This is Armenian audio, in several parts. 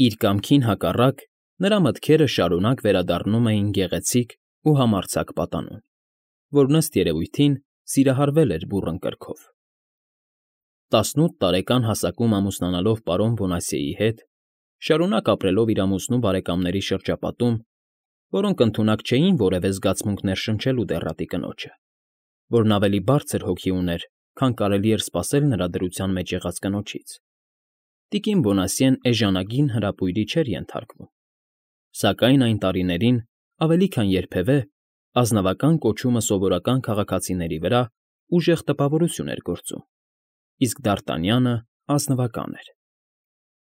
Իր կամքին հակառակ, նրա մտքերը շարունակ վերադառնում էին գեղեցիկ ու համարձակ պատանուն, որ ըստ երևույթին սիրահարվել էր բուռն կրքով։ 18 տարեկան հասակում ամուսնանալով պարոն Բոնասիեի հետ, շարունակ ապրելով իր ամուսնու բարեկամների շրջապատում, որոնք ընդունակ չէին որևէ զգացմունք ներշնչելու դեռատի կնոջը, որն ավելի բարձր հոգի ուներ, քան կարելի էր սպասել նրա դրության մեջ եղած կնոջից, տիկին Բոնասիեն էժանագին հրապույրի չէր ենթարկվում, սակայն այն տարիներին, ավելի քան երբևէ, ազնվական կոչումը սովորական քաղաքացիների վրա ուժեղ տպավորություն էր գործում, իսկ Դ'Արտանյանը ազնվական էր։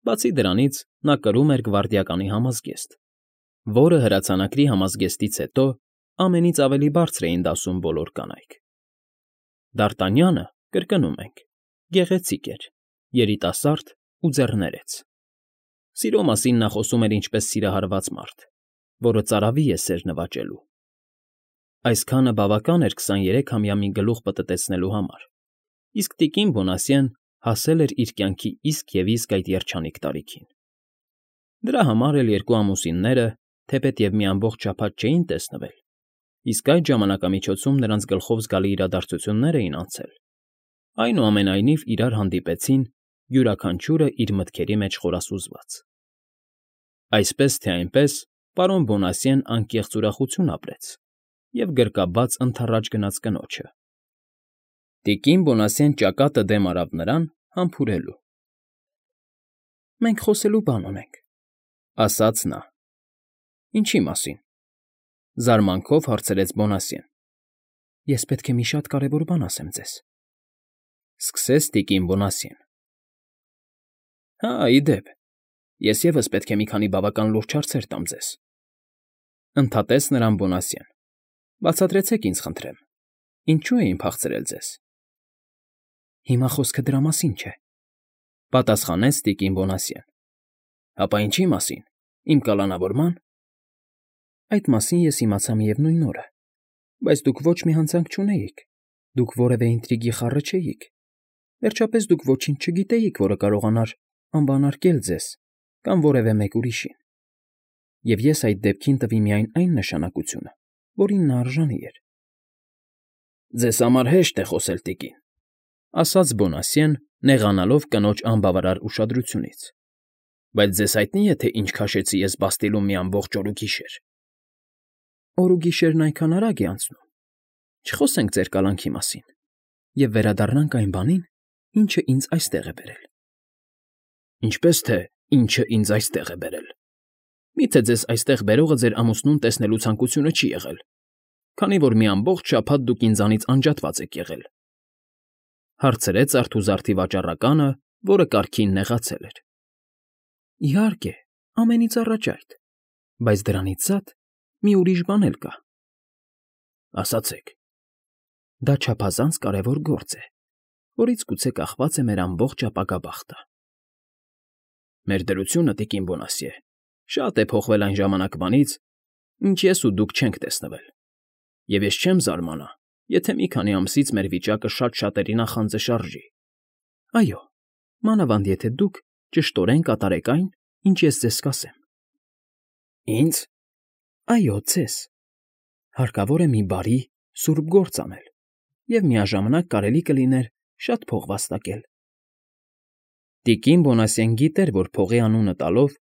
Բացի դրանից, նա կրում էր գվարդիականի համազգեստ, որը հրացանակրի համազգեստից հետո ամենից ավելի բարձր էին դասում բոլոր կանայք։ Դ'Արտանյանը, կրկնում ենք, գեղեցիկ էր, երիտասարդ ու ձեռներեց։ Սիրո մասին նա խոսում էր ինչպես սիրահարված մարդ, որը ծարավի է սեր նվաճելու։ Այսքանը բավական էր 23-ամյա մի գլուխ պտտեցնելու համար, իսկ տիկին Բոնասիեն հասել էր իր կյանքի իսկ և իսկ այդ երջանիկ տարիքին։ Դրա համար էլ երկու ամուսինները, թեպետև մի ամբողջ շաբաթ չէին տեսնվել, իսկ այդ ժամանակամիջոցում նրանց գլխով զգալի իրադարձություններ էին անցել, այնուամենայնիվ իրար հանդիպեցին, յուրաքանչյուրը իր մտքերի մեջ խորասուզված։ Այսպես թե այնպես, պարոն Բոնասիեն անկեղծ ուրախություն ապրեց և գրկաբաց ընդառաջ գնաց կնոջը։ Տիկին Բոնասիեն ճակատը դեմ արավ նրան, համբուրելու։ ֊ Մենք խոսելու բան ունենք, ֊ ասաց նա։ ֊ Ինչի մասին, ֊ զարմանքով հարցրեց Բոնասիեն։ ֊ Ես պետք է մի շատ կարևոր բան ասեմ ձեզ, ֊ սկսեց տիկին Բոնասիեն։ ֊ Հա, ի դեպ, ես ևս պետք է մի քանի բավական լուրջ հարցեր տամ ձեզ, ֊ ընդհատեց նրան Բոնասիեն։ ֊ Բացատրեցեք ինձ, խնդրեմ, ինչո՞ւ էին փախցրել ձեզ։ ֊ Հիմա խոսքը դրա մասին չէ, ֊ պատասխանեց տիկին Բոնասիեն։ ֊ Հապա ինչի՞ մասին, իմ կալանավորմա՞ն։ ֊ Այդ մասին ես իմացա միևնույն օրը, բայց դուք ոչ մի հանցանք չունեիք, դուք որևէ ինտրիգի խառը չէիք, վերջապես դուք ոչինչ չգիտեիք, որը կարողանար անվանարկել ձեզ կամ որևէ մեկ ուրիշին, և ես այդ դեպքին տվի միայն այն նշանակությունը, որին նա արժանի էր։ ֊ Ձեզ համար հեշտ է խոսել, տիկին, ֊ ասաց Բոնասիեն, նեղանալով կնոջ անբավարար ուշադրությունից, ֊ բայց ձեզ հայտնի է, թե ինչ քաշեցի ես Բաստիլում մի ամբողջ օր ու գիշեր։ ֊ Օր ու գիշերն այնքան արագ է անցնում, չխոսենք ձեր կալանքի մասին և վերադառնանք այն բանին, ինչը ինձ այստեղ է բերել։ ֊ Ինչպես թե ինչը ինձ այստեղ է բերել։ Մի՞թե ձեզ այստեղ բերողը ձեր ամուսնուն տեսնելու ցանկությունը չի եղել, քանի որ մի ամբողջ շաբաթ դուք ինձանից անջատված եք եղել, ֊ հարցրեց արթուզարդի վաճառականը, որը կարգին նեղացել էր։ ֊ Իհարկե, ամենից առաջ այդ, բայց դրանից զատ մի ուրիշ բան էլ կա։ ֊ Ասացեք։ ֊ Դա չափազանց կարևոր գործ է, որից գուցե կախված է մեր ամբողջ ապագա բախտը։ ֊ Մեր դրությունը, տիկին Բոնասիե, շատ է փոխվել այն ժամանակվանից, ինչ ես ու դուք չենք տեսնվել, և ես չեմ զարմանա, եթե մի քանի ամսից մեր վիճակը շատ շատերի նախանձը շարժի։ ֊ Այո, մանավանդ եթե դուք ճշտորեն կատարեք այն, ինչ ես ձեզ կասեմ։ ֊ Ինձ։ ֊ Այո, ձեզ։ Հարկավոր է մի բարի, սուրբ գործ անել, և միաժամանակ կարելի կլիներ շատ փող վաստակել։ Տիկին Բոնասիեն գիտեր, որ փողի անունը տալով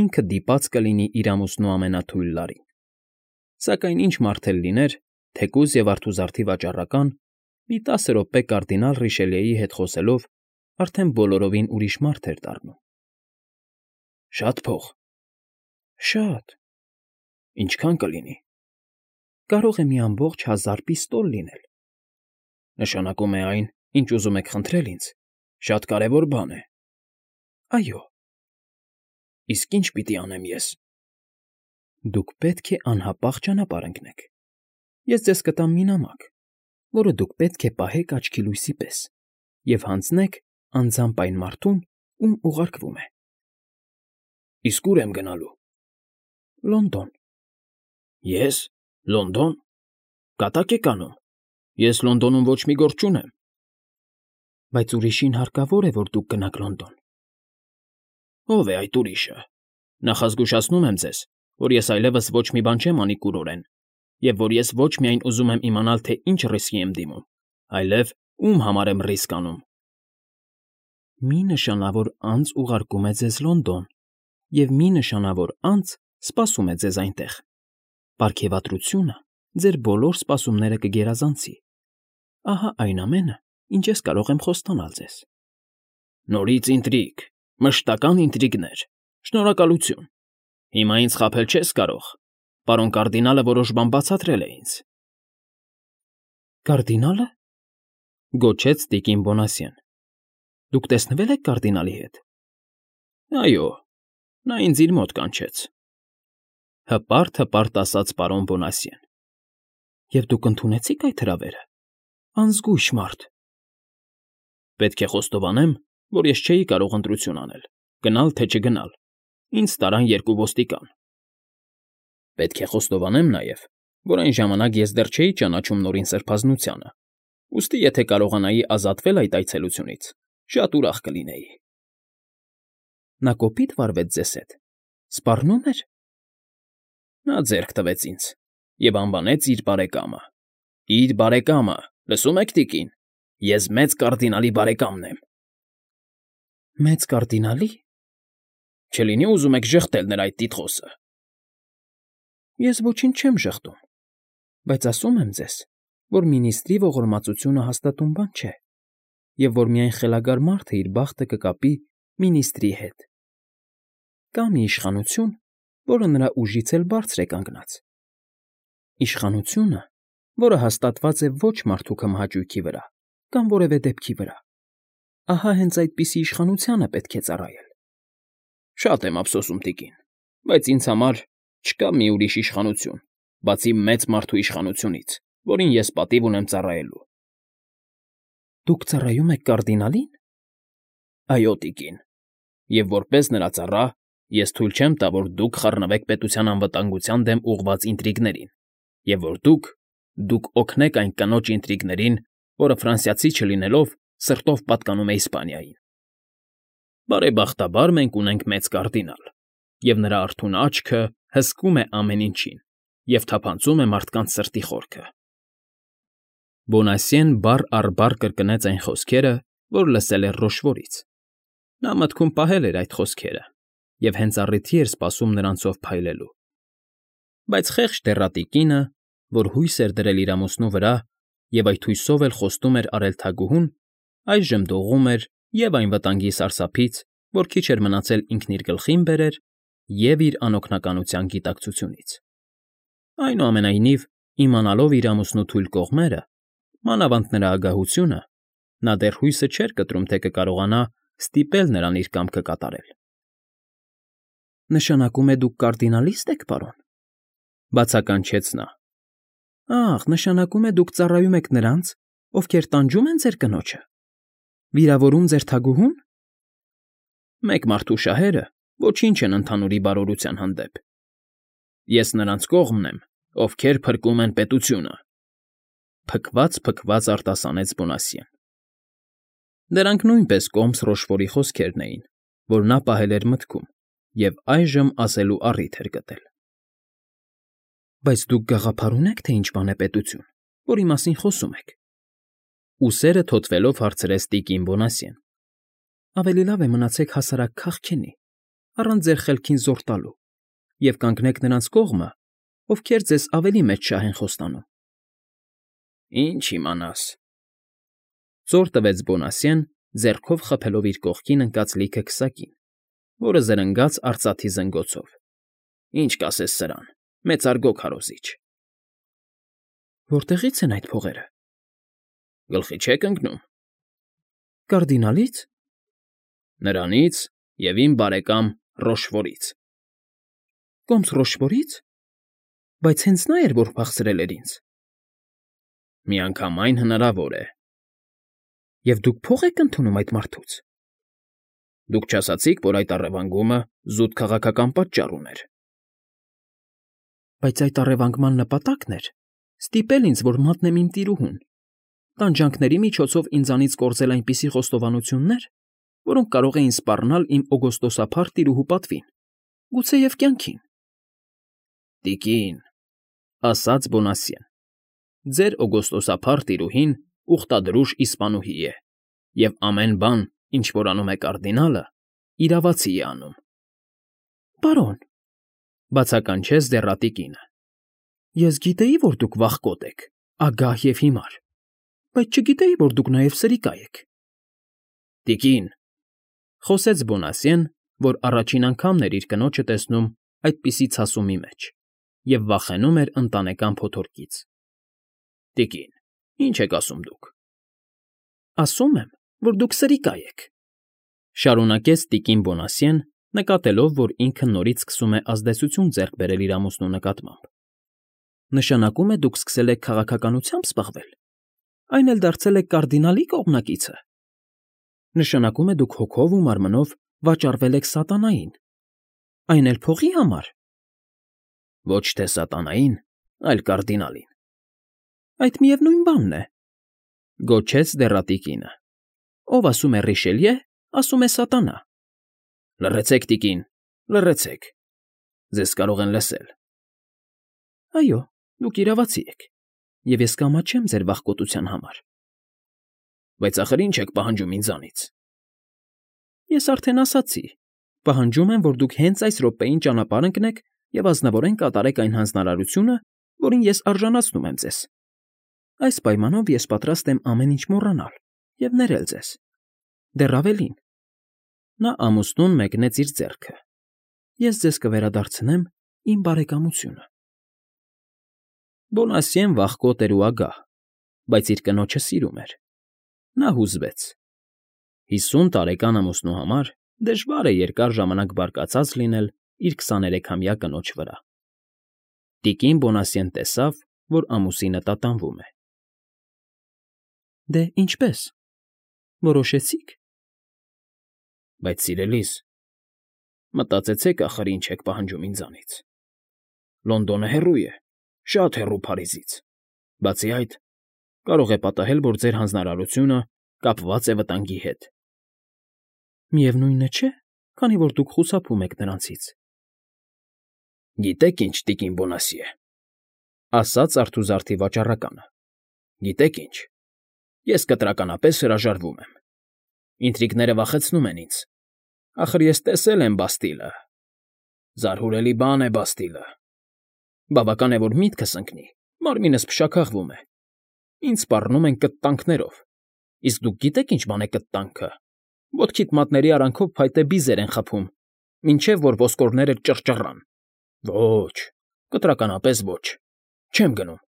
ինքը դիպած կլինի իր ամուսնու ամենաթույլ լարին, սակայն ինչ մարդ էլ լիներ, թեկուզ և արթուզարդի վաճառական, մի 10 րոպե կարդինալ Ռիշելիեի հետ խոսելով արդեն բոլորովին ուրիշ մարդ էր դառնում։ ֊ Շա՞տ փող։ ֊ Շատ։ ֊ Ինչքա՞ն կլինի։ ֊ Կարող է մի ամբողջ 1000 պիստոլ լինել։ ֊ Նշանակում է այն, ինչ ուզում եք խնդրել ինձ, շատ կարևոր բան է։ ֊ Այո։ ֊ Իսկ ի՞նչ պիտի անեմ ես։ ֊ Դուք պետք է անհապաղ ճանապարհ ընկնեք։ Ես ձեզ կտամ մի նամակ, որը դուք պետք է պահեք աչքի լույսի պես և հանձնեք անձամբ այն մարդուն, ում ուղարկվում է։ ֊ Իսկ ո՞ւր եմ գնալու։ ֊ Լոնդոն։ ֊ Ե՞ս, Լոնդոն, կատա՞կ եք անում։ Ես Լոնդոնում ոչ մի գործ չունեմ։ ֊ Բայց ուրիշին հարկավոր է, որ դուք գնաք Լոնդոն։ ֊ Ո՞վ է այդ ուրիշը։ ֊ Նախազգուշացնում եմ ձեզ, որ ես այլևս ոչ մի բան չեմ անի կուրորեն, և որ ես ոչ միայն ուզում եմ իմանալ, թե ինչ ռիսկի եմ դիմում, այլև ում համար եմ ռիսկ անում։ Մի նշանավոր անձ ուղարկում է ձեզ Լոնդոն, և մի նշանավոր անձ սպասում է ձեզ այնտեղ։ Պարգևատրությունը ձեր բոլոր սպասումները կգերազանցի։ Ահա այն ամենը, ինչ ես կարող եմ խոստանալ ձեզ։ Նորից ինտրիգ, մշտական ինտրիգներ։ Շնորհակալություն։ Հիմա ինձ խաբել չես կարող։ Պարոն կարդինալը որոշ բան բացատրել է ինձ։ Կարդինալը,֊ գոչեց տիկին Բոնասյեն։ Դուք տեսնվե՞լ եք կարդինալի հետ։ Այո, նա ինձ իր մոտ կանչեց,֊ հպարտ ասաց պարոն Բոնասյեն։ Եվ դուք ընդունեցի՞ք այդ հրավերը։ Անզգույշ մարդ։ Պետք է խոստովանեմ, որ ես չէի կարող ընտրություն անել, գնալ թե չգնալ։ Ինձ տարան երկու ոստիկան։ Պետք է խոստովանեմ նաև, որ այն ժամանակ ես դեռ չէի ճանաչում Նորին Սրբազնությանը, ուստի եթե կարողանայի ազատվել այդ այցելությունից, շատ ուրախ կլինեի։ Նա կոպիտ վարվեց ձեզ հետ, սպառնո՞ւմ էր։ Նա ձեռք տվեց ինձ և անվանեց իր բարեկամը։ Իր բարեկամը, լսում եք, տիկին, ես մեծ կարդինալի բարեկամն եմ։ Մեծ կարդինալի։ Չլինի ուզում եք ժխտել նրա այդ տիտղոսը։ Ես ոչինչ չեմ ժխտում, բայց ասում եմ ձեզ, որ մինիստրի ողորմածությունը հաստատուն բան չէ, և որ միայն խելագար մարդը իր բախտը կկապի մինիստրի հետ։ Կա մի իշխանություն, որը նրա ուժից էլ բարձր է կանգնած։ Իշխանությունը, որը հաստատված է ոչ մարդու քմահաճույքի վրա կամ որևէ դեպքի վրա։ Ահա հենց այդպիսի իշխանությանը պետք է ծառայել։ Շատ եմ ափսոսում, տիկին, բայց ինձ համար չկա մի ուրիշ իշխանություն, բացի մեծ մարդու իշխանությունից, որին ես պատիվ ունեմ ծառայելու։ Դուք ծառայում եք կարդինալին։ Այո, տիկին, և որպես նրա ծառա, ես թույլ չեմ տա, որ դուք խառնվեք պետության անվտանգության դեմ ուղղված ինտրիգներին, և որ դուք օգնեք այն կնոջ ինտրիգներին, որը ֆրանսիացի չլինելով սրտով պատկանում է Իսպանիային։ Բարեբախտաբար մենք ունենք մեծ կարդինալ, և նրա արթուն աչքը հսկում է ամեն ինչին և թափանցում է մարդկանց սրտի խորքը։ Բոնասյեն բառ առ բառ կրկնեց այն խոսքերը, որ լսել էր Ռոշվորից։ Նա մտքում պահել էր այդ խոսքերը և հենց առիթի էր սպասում նրանցով փայլելու։ Բայց խեղճ դեռատիկինը, որ հույս էր դրել իր ամուսնու վրա և այդ հույսով էլ խոստում էր արել թագուհուն, այժմ դողում էր և այն վտանգի սարսափից, որ քիչ էր մնացել ինքն իր գլխին բերեր, և իր անօգնականության գիտակցությունից։ Այնուամենայնիվ, իմանալով իր ամուսնու թույլ կողմերը, մանավանդ նրա ագահությունը, նա դեռ հույսը չէր կտրում, թե կկարողանա ստիպել նրան իր կամքը կատարել։ Նշանակում է դուք կարդինալիստ եք, պարոն,֊ բացականչեց նա։ Ախ, նշանակում է դուք ծառայում եք նրանց, ովքեր տանջում են ձեր կնոջը, վիրավորում ձեր թագուհուն։ Մեկ մարդու շահերը ոչինչ են ընդհանուրի բարօրության հանդեպ։ Ես նրանց կողմն եմ, ովքեր փրկում են պետությունը,֊ փքված արտասանեց Բոնասյեն։ Դրանք նույնպես կոմս Ռոշվորի խոսքերն էին, որ նա պահել էր մտքում և այժմ ասելու առիթ էր գտել։ Բայց դուք գաղափար ունե՞ք, թե ինչ բան է պետություն, որի մասին խոսում եք։ Ուսերը թոթվելով հարցրեց տիկին Բոնասյեն։ Ավելի լավ է մնացեք հասարակ քաղքենի, առանց ձեր խելքին զոռ տալու, և կանգնեք նրանց կողմը, ովքեր ձեզ ավելի մեծ շահ են խոստանում։ Ինչ իմանաս,֊ զոռ տվեց Բոնասյեն, ձեռքով խփելով իր կողքին ընկած լիքը քսակին, որը զրնգաց արծաթի զնգոցով։ Ինչ կասես սրան, մեծարգո քարոզիչ։ Որտեղի՞ց են այդ փողերը։ Գլխի չեք ընկնում։ Կարդինալի՞ց։ Նրանից և իմ բարեկամ Ռոշվորից։ Կոմս Ռոշվորի՞ց։ Բայց հենց նա էր, որ փախցրել էր ինձ։ Միանգամայն հնարավոր է։ Եվ դուք փող եք ընդունում այդ մարդուց։ Դուք չասացիք, որ այդ առևանգումը զուտ քաղաքական պատճառ ուներ։ Բայց այդ առևանգման նպատակն էր ստիպել ինձ, որ մատնեմ իմ տիրուհուն, տանջանքների միջոցով ինձանից կորզել այնպիսի խոստովանություններ, որոնք կարող էին սպառնալ իմ օգոստոսափառ տիրուհու պատվին։ գուցեև կյանքին։ Տիկին, ասաց Բոնասյեն, ձեր օգոստոսափառ տիրուհին ուխտադրուժ իսպանուհի է, և ամեն բան, ինչ որ անում է կարդինալը, իրավացի է անում։ Պարոն, բացականչեց դեռատի կինը, ես գիտեի, որ դուք վախկոտ եք, ագահ և հիմար, բայց չգիտեի, որ դուք նաև սրիկա եք։ Տիկին, խոսեց Բոնասյեն, որ առաջին անգամն էր իր կնոջը տեսնում այդպիսի ցասումի մեջ և վախենում էր ընտանեկան փոթորկից։ Տիկին, ինչ եք ասում դուք։ Ասում եմ, որ դուք սրիկա եք, շարունակեց տիկին Բոնասյեն, նկատելով, որ ինքը նորից սկսում է ազդեցություն ձեռք բերել իր ամուսնու նկատմամբ։ Նշանակում է դուք սկսել եք քաղաքականությամբ զբաղվել, այն էլ դարձել եք կարդինալի կողմնակիցը։ Նշանակում է դուք հոգով ու մարմնով վաճառվել եք սատանային, այն էլ փողի համար։ Ոչ թե սատանային, այլ կարդինալին։ Այդ միևնույն բանն է, գոչեց դեռատի կինը։ Ով ասում է Ռիշելյե, ասում է սատանա։ Լռեցեք, տիկին, լռեցեք, ձեզ կարող են լսել։ Այո, դուք իրավացի եք, և ես կամաչեմ ձեր վախկոտության համար։ Բայց ախր ինչ եք պահանջում ինձանից։ Ես արդեն ասացի, պահանջում եմ, որ դուք հենց այս րոպեին ճանապարհ ընկնեք և ազնվորեն կատարեք այն հանձնարարությունը, որին ես արժանացնում եմ ձեզ։ Այս պայմանով ես պատրաստ եմ ամեն ինչ մոռանալ և ներել ձեզ։ Դեռ ավելին, նա ամուսնուն մեկնեց իր ձեռքը։ Ես ձեզ կվերադարձնեմ իմ բարեկամությունը։ Բոնասյեն վախկոտ էր ու ագահ, բայց իր կնոջը սիրում էր։ Նա հուզվեց։ 50 տարեկան ամուսնու համար դժվար է երկար ժամանակ բարկացած լինել իր 23-ամյա կնոջ վրա։ Տիկին Բոնասյեն տեսավ, որ ամուսինը տատանվում է։ Դե ինչպես, որոշեցի՞ք։ Բայց սիրելիս, մտածեցեք ախր ինչ եք պահանջում ինձանից։ Լոնդոնը հեռու է, շատ հեռու Փարիզից։ Բացի այդ, կարող է պատահել, որ ձեր հանձնարարությունը կապված է վտանգի հետ։ Միևնույնն չէ, քանի որ դուք խուսափում եք նրանցից։ Գիտեք ինչ, տիկին Բոնասյե, ասաց արթուզարդի վաճառականը։ Գիտեք ինչ, ես կտրականապես հրաժարվում եմ։ Ինտրիգները վախեցնում են ինձ։ Ախր ես տեսել եմ Բաստիլը։ Զարհուրելի բան է Բաստիլը։ Բավական է, որ միտքս ընկնի, մարմինս փշաքաղվում է։ Ինձ սպառնում են կտտանքներով։ Իսկ դուք գիտեք ինչ բան է կտտանքը։ Ոտքիդ մատների արանքով փայտե բիզեր են խփում, մինչև որ ոսկորները ճռճռան։ Ոչ, կտրականապես ոչ։ Չեմ գնում։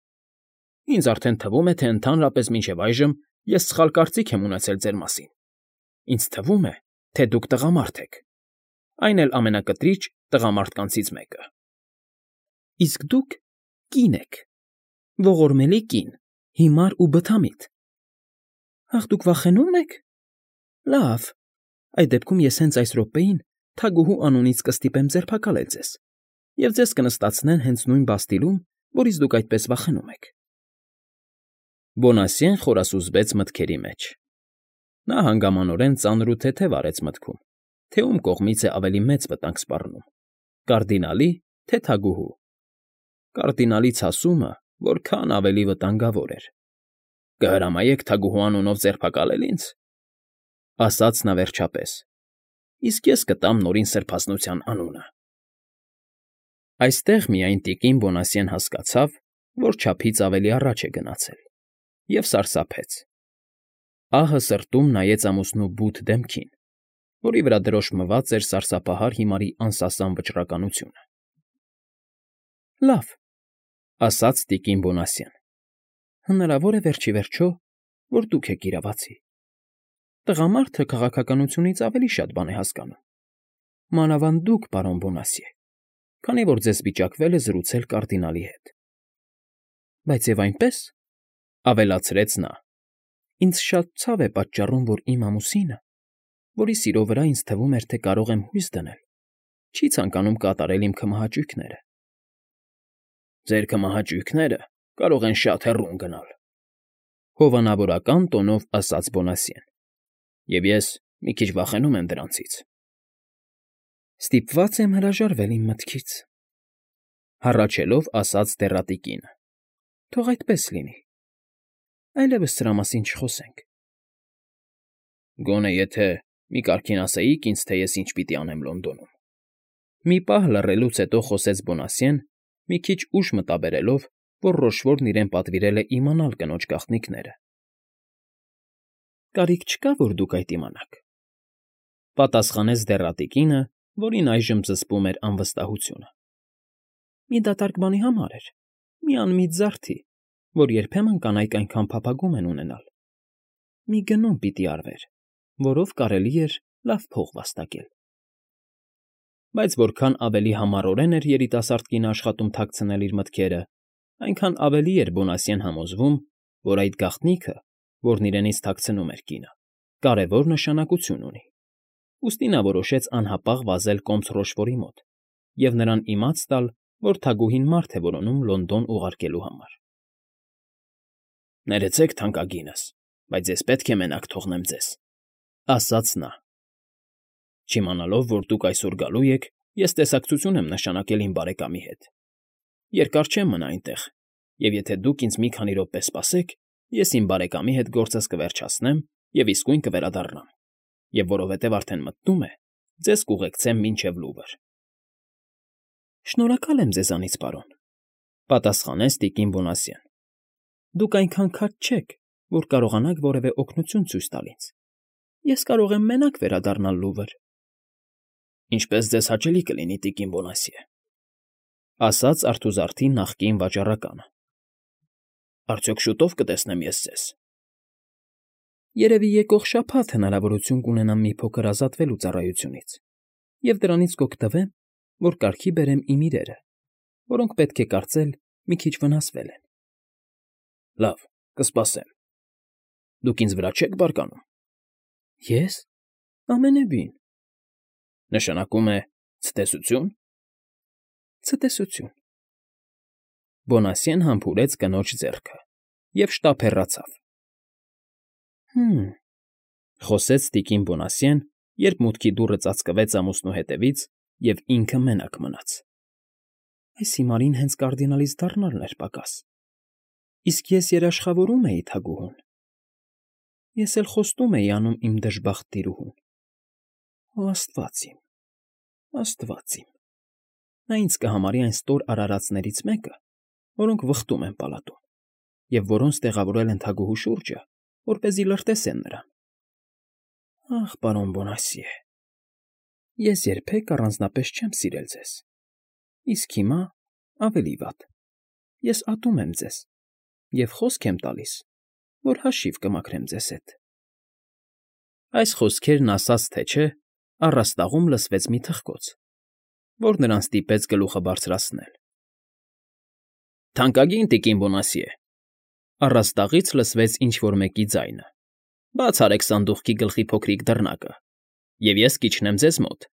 Ինձ արդեն թվում է, թե ընդհանրապես մինչև այժմ ես սխալ կարծիք եմ ունեցել ձեր մասին։ Ինձ թվում է, թե դուք տղամարդ եք, այն էլ ամենակտրիչ տղամարդկանցից մեկը։ Իսկ դուք կին եք, ողորմելի կին, հիմար ու բթամիտ։ Ախ, դուք վախենու՞մ եք։ Լավ, այդ դեպքում ես հենց այս րոպեին թագուհու անունից կստիպեմ ձերբակալել ձեզ, և ձեզ կնստացնեն հենց նույն Բաստիլում, որից դուք այդպես վախենում եք։ Բոնասյեն խորասուզվեց մտքերի մեջ։ Նա հանգամանորեն ծանր ու թեթև արեց մտքում, թե ում կողմից է ավելի մեծ վտանգ սպառնում՝ կարդինալի, թե թագուհու։ Կարդինալի ցասումը որքան ավելի վտանգավոր էր։ Կհրամայեք թագուհու անունով ձերբակալել ինձ, ասաց նա վերջապես, իսկ ես կտամ նորին սրբազնության անունը։ Այստեղ միայն տիկին Բոնասյեն հասկացավ, որ չափից ավելի առաջ է գնացել, և սարսափեց։ Ահը սրտում նայեց ամուսնու բութ դեմքին, որի վրա դրոշմված էր սարսափահար հիմարի անսասան վճռականությունը։ Լավ, ասաց տիկին Բոնասյեն, հնարավոր է վերջ ի վերջո, որ դուք եք իրավացի։ Տղամարդը քաղաքականությունից ավելի շատ բան է հասկանում։ Մանավանդ դուք, պարոն Բոնասյե, քանի որ ձեզ վիճակվել է զրուցել կարդինալի հետ։ Բայց և այնպես, ավելացրեց նա, ինձ շատ ցավ է պատճառում, որ իմ ամուսինը, որի սիրո վրա ինձ թվում էր, թե կարող եմ հույս դնել, չի ցանկանում կատարել իմ քմահաճույքները։ Ձեր քմահաճույքները կարող են շատ հեռու ընկնալ, հովանավորական տոնով ասաց Բոնասյեն, և ես մի քիչ վախենում եմ դրանցից։ Ստիպված եմ հրաժարվել իմ մտքից, հառաչելով ասաց դեռատիկինը։ Թող այդպես լինի։ Այլևս սրա մասին չխոսենք։ Գոնե եթե մի կարգին ասեիք ինձ, թե ես ինչ պիտի անեմ Լոնդոնում։ Մի պահ լռելուց հետո խոսեց Բոնասիեն, մի քիչ ուշ մտաբերելով, որ Ռոշվորն իրեն պատվիրել է իմանալ կնոջ գաղտնիքները։ Կարիք չկա, որ դուք այդ իմանաք, պատասխանեց դեռատիկինը, որին այժմ զսպում էր անվստահությունը։ Մի դատարկ բանի համար էր, մի անմիտ զարդի, որ երբեմն կանայք այնքան փափագում են ունենալ։ Մի գնում պիտի արվեր, որով կարելի էր լավ փող վաստակել։ Բայց որքան ավելի համառորեն էր երիտասարդ կինը աշխատում թաքցնել իր մտքերը, այնքան ավելի էր Բոնասիեն համոզվում, որ այդ գաղտնիքը, որն իրենից թաքցնում էր կինը, կարևոր նշանակություն ունի։ Ուստի նա որոշեց անհապաղ վազել կոմս Ռոշվորի մոտ և նրան իմաց տալ, որ թագուհին մարդ է որոնում Լոնդոն ուղարկելու համար։ Ներեցեք, թանկագինս, բայց ես պետք է մենակ թողնեմ ձեզ, ասաց նա։ Չիմանալով, որ դուք այսօր գալու եք, ես տեսակցություն եմ նշանակել իմ բարեկամի հետ։ Երկար չեմ մնա այնտեղ, և եթե դուք ինձ մի քանի րոպե սպասեք, ես իմ բարեկամի հետ գործս կվերջացնեմ և իսկույն կվերադառնամ, և որովհետև արդեն մտնում է, ձեզ կուղեկցեմ մինչև Լուվր։ Շնորհակալ եմ ձեզանից, պարոն, պատասխանեց տիկին Բոնասիեն։ Դուք այնքան քաջ չեք, որ կարողանաք որևէ օգնություն ցույց տալ ինձ։ Ես կարող եմ մենակ վերադառնալ Լուվր։ Ինչպես ձեզ հաճելի կլինի, տիկին Բոնասիե, ասաց արթուզարդի նախկին վաճառականը։ Արդյոք շուտով կտեսնեմ ես ձեզ։ Երևի եկող շաբաթ հնարավորություն կունենամ մի փոքր ազատվելու ծառայությունից և դրանից կօգտվեմ, որ կարգի բերեմ իմ իրերը, որոնք պետք է կարծել մի քիչ վնասվել են։ Լավ, կսպասեմ։ Դուք ինձ վրա չեք բարկանում։ Ես։ Ամենևին։ Նշանակում է ցտեսությո՞ւն։ Ցտեսություն։ Բոնասիեն համբուրեց կնոջ ձեռքը և շտապ հեռացավ։ Խոսեց տիկին Բոնասիեն, երբ մուտքի դուռը ծածկվեց ամուսնու հետևից, և ինքը մենակ մնաց։ Այս հիմարին հենց կարդինալից դառնալն էր պակաս։ Իսկ ես երաշխավորում էի թագուհուն։ Ես էլ խոստում էի անում իմ դժբախտ տիրուհուն։ Օ, աստված իմ, աստված իմ։ Նա ինձ կհամարի այն ստոր արարածներից մեկը, որոնք վխտում են պալատում, և որոնց տեղավորել են թագուհու շուրջը, որպեսզի լրտեսեն նրան։ Ախ, պարոն Բոնասիե, ես երբեք առանձնապես չեմ սիրել ձեզ, իսկ հիմա ավելի վատ։ Ես ատում եմ ձեզ և խոսք եմ տալիս, որ հաշիվ կմաքրեմ ձեզ հետ։ Այս խոսքերն ասաց թե չէ, առաստաղում լսվեց մի թխկոց, որ նրան ստիպեց գլուխը բարձրացնել։ Թանկագին տիկին Բոնասիե, առաստաղից լսվեց ինչ֊որ մեկի ձայնը։ Բաց արեք սանդուղքի գլխի փոքրիկ դռնակը, և ես կիջնեմ ձեզ մոտ,